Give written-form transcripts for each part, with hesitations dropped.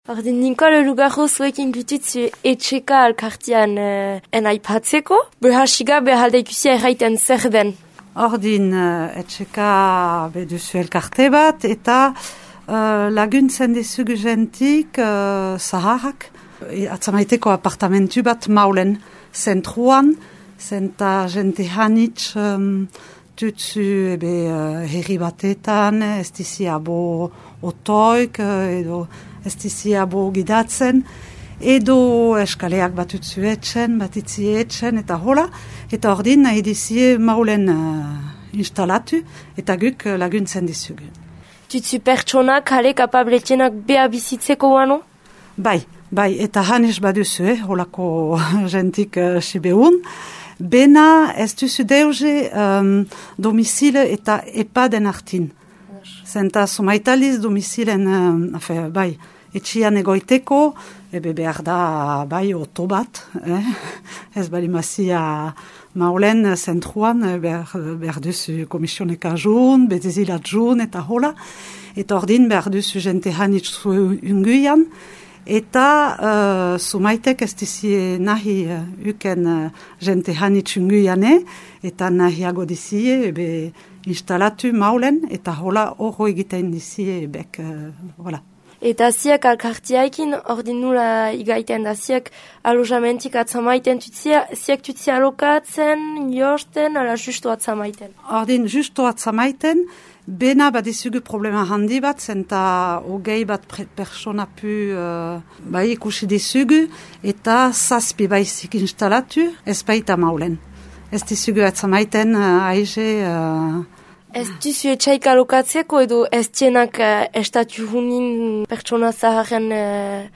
Ordin Nicole lugarro zuekin gutitzu etxeka alkartian enaipatzeko, behasiga behalde ikusia erraiten zer den. Ordin etxeka beduzu elkarte bat eta laguntzen dizugu jentik zaharrak. Atzamaiteko apartamentu bat maulen zentruan, zenta jente hanitz tutsu herri batetan, ez diziabo otoik edo ez diziabo gidatzen, edo eskaleak bat utzu etxen, bat itzi etxen, eta hola, eta ordin nahi dizie maulen instalatu, eta guk laguntzen dizugu. Tutsu pertsonak kale kapabletienak beha bizitzeko wano? Bai, eta hanes baduzu, holako jentik sibeun, bena ez duzu deuze domizile eta epaden artin. Zenta sumaitaliz domizilen, bai, etxian egoiteko, behar da, bai, oto bat, ez balimazia maulen zentruan, behar duzu komisioneka jun, betezilat jun, eta hola, eta ordin behar duzu jente hanitzu unguian, eta sumaitek ez dizie nahi uken jente hanitzu unguiane, eta nahiago dizie, instalatu maulen, eta hola horro egiten dizie bek, hola. Eta ziak alkartiaikin, ordin nula igaiten da, ziak alojamentik atzamaiten tutzia, ziak tutzia alokatzen, josten, ala justu atzamaiten? Ordin justu atzamaiten, bena badizugu problema handi bat, zenta hogei bat persona pu bai ikusi dizugu, eta zazpi baizik instalatu, ez baita maulen. Ez dizugu atzamaiten aize... Ez duzu etxaik alokatzeko edo ez tienak estatu hunin pertsona zaharen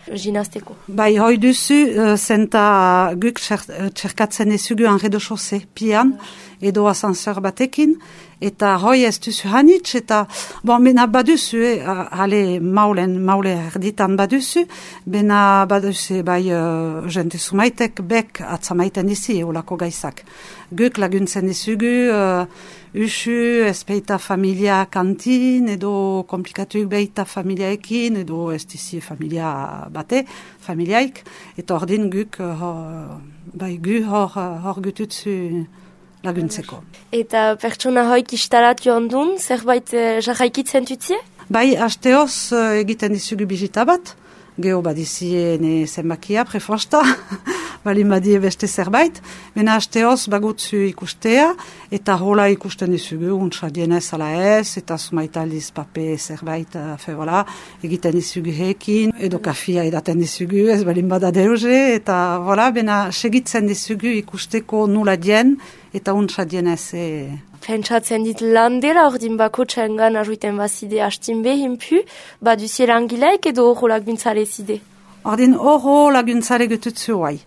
ginazteko? Bai, hoi duzu, zenta guk txerkatzen ezugu enredo-chose pian, edo asanseur batekin, eta hoi ez duzu hanitz, eta, bena baduzu, maule erditan baduzu, bena baduzu, bai, jente sumaitek bek atzamaiten dizi, olako gaizak. Guk laguntzen dizugu, usu, ez beita familia kantin, edo komplikatuik beita familiaekin, edo ez dizi familia bate, familiaik, eta ordin guk, hor gututzu laguntzeko. Eta pertsona hoik instalatu ondun, zerbait jarraikitzen tutzie? Bai, hasteoz egiten dizugu bizita bat, geho badizie zenbakia, prefosta, bali badie beste zerbait, bena hasteoz bagutzu ikustea, eta hola ikusten dizugu, untsa dienez ala ez, eta sumaitaldiz pape zerbait, egiten dizugu hekin, edo kafia edaten dizugu, ez balin bada deuze, eta bena segitzen dizugu ikusteko nula dien, eta untsa dienez. Pentsatzen dit lan dela ordin bako txengan arruiten bazide hastin behin pu, baduzie langileik edo horro laguntzare zide? Ordin horro laguntzare gututzu guai.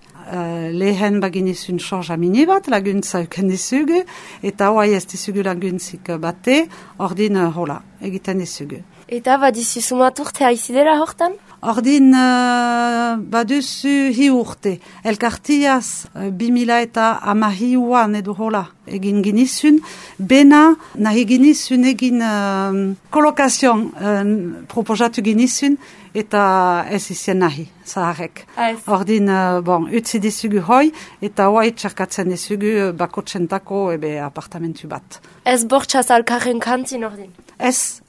Lehen baginizun sorja mini bat, laguntza euken dizugu, eta hoai ez dizugu laguntzik bate, ordin hola, egiten dizugu. Eta badizu sumaturte haizidera hortan? Ordin baduzu hi urte. Elkartiaz 2000 eta amahiuan edo hola egin ginizun. Bena nahi ginizun egin kolokazion proposatu ginizun eta ez izien nahi, zaharek. Ordin, utzi dizugu hoi eta hoai txarkatzen dizugu bakotzentako apartamentu bat. Ez bortxaz alkarren kantin ordin? Ez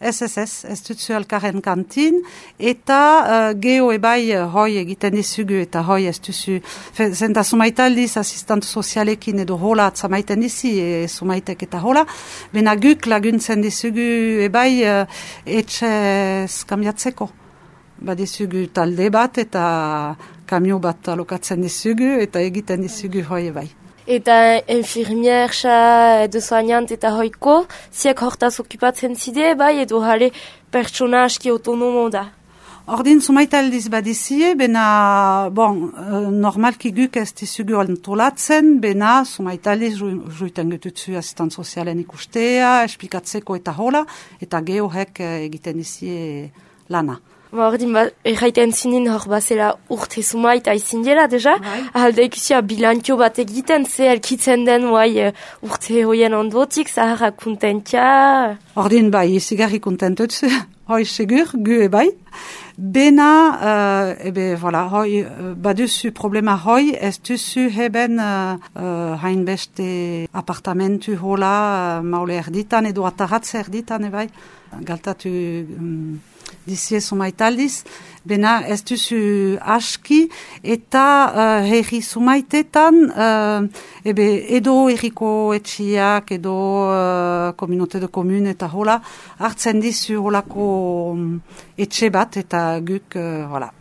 dutzu alkarren kantin, eta geho ebai hoi egiten dizugu, eta hoi ez duzu, zenta sumaitaldiz asistantu sozialekin edo hola atzamaiten dizi, sumaitek eta hola, bena guk laguntzen dizugu ebai etxez kambiatzeko. Badizugu talde bat eta kamio bat alokatzen dizugu, eta egiten dizugu hoi ebai. Eta infirmiersa edo soignant eta hoiko, ziak hortaz okupatzen zide, bai, edo jale pertsona aski autonomo da. Ordin sumaitaldiz badizie, bena, normalki guk ez dizugu antolatzen, bena sumaitaldiz juiten gututzu asistant sozialen ikustea, espikatzeko eta hola, eta gehohek egiten dizie lana. Ordin, erraiten zinin hor bazela urte zumaita izin dela, deja. Ahalda ikusia bilantio bat egiten, ze elkitzen den urte hoien ondotik, zaharra kontentia. Ordin bai, izigarri kontentutzu, hoi segur, gu bai. Bena, hoi, baduzu problema hoi, ez duzu heben hainbeste apartamentu hola maule erditan edo ataratze erditan, bai. Galtatu dizie sumaitaldiz, bena ez duzu aski eta herri sumaitetan edo herriko etxiak edo komunote de komun eta hola hartzen dizu holako etxe bat eta guk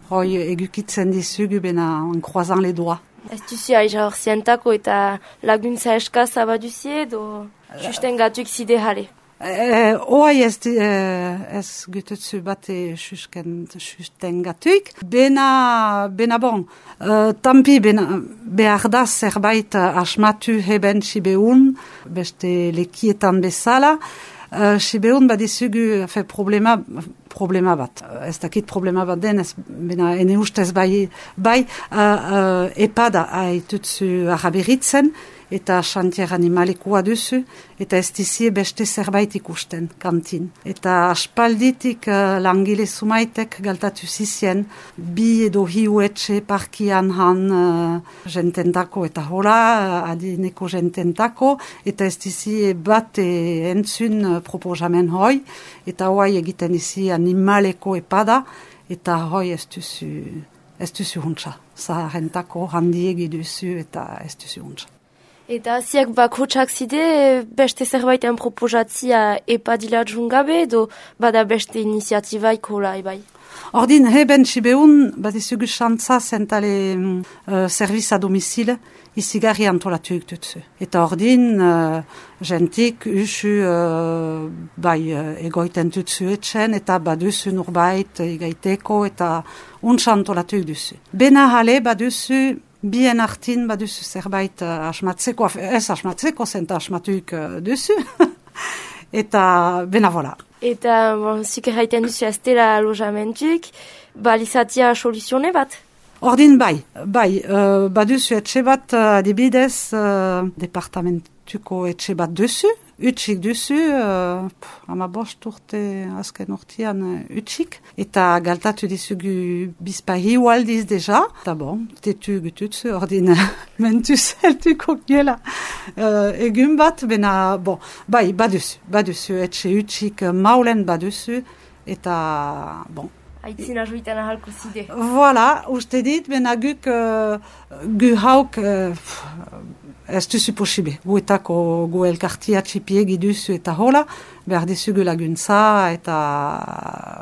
hoi egukitzen dizugu bena en croisant les doigts. Ez duzu aiza hor zientako eta laguntza eskaza baduzie edo susten gatuik zide jale? Oai ez gututzu bate susten gatuik. Bena bon, tampi behar da zerbait asmatu heben sibeun, beste lekietan bezala. Sibeun badizugu problema bat. Ez dakit problema bat den, bena ene ustez bai epada haitutzu araberitzen, eta xantier animalikoa duzu, eta ez dizie beste zerbait ikusten, kantin. Eta aspalditik langile sumaitek galtatu zizien, bi edo hiu etxe parkian han jententako eta hola, adineko jententako, eta ez dizie bat entzun proposamen hoi, eta hoi egiten dizi animaleko epada, eta hoi ez duzu huntza. Zaharentako handiegi duzu eta ez duzu huntza. Eta ziak bakotsak zide beste zerbaiten proposatzia epadila djungabe edo bada beste iniziatibaiko lai bai? Ordin, heben sibeun badizugu xantza zentale serviz a domicile izigarri antolatuik dutzu. Eta ordin, jentik usu egoiten dutzu etxen eta baduzu nurbait egaiteko eta untsa antolatuik duzu. Bena hale baduzu bien artin baduzu zerbait asmatzeko, ez asmatzeko zenta asmatuik duzu. Eta bena vola. Eta zik erraiten duzu ez dela alojamentuk, balizatia soluzione bat? Ordin bai, baduzu etxe bat adibidez departamentuko etxe bat duzu, utxik duzu, amabost urte azken urtean utxik, eta galtatu dizugu bizpahi ualdiz deja, eta bon, tetu gututzu, ordin mentu zeltuko giela egun bat, bena, bon, bai, baduzu etxe utxik maulen baduzu, eta bon, aitzina joitan ahalko zide. Voilà, uste dit, bena guk gu hauk ez duzu posibe. Guetako gu elkartia txipiegi duzu eta hola, behar dizugu laguntza eta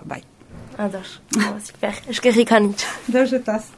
bai. Ados, super, eskerrik anitz. Deuzetaz.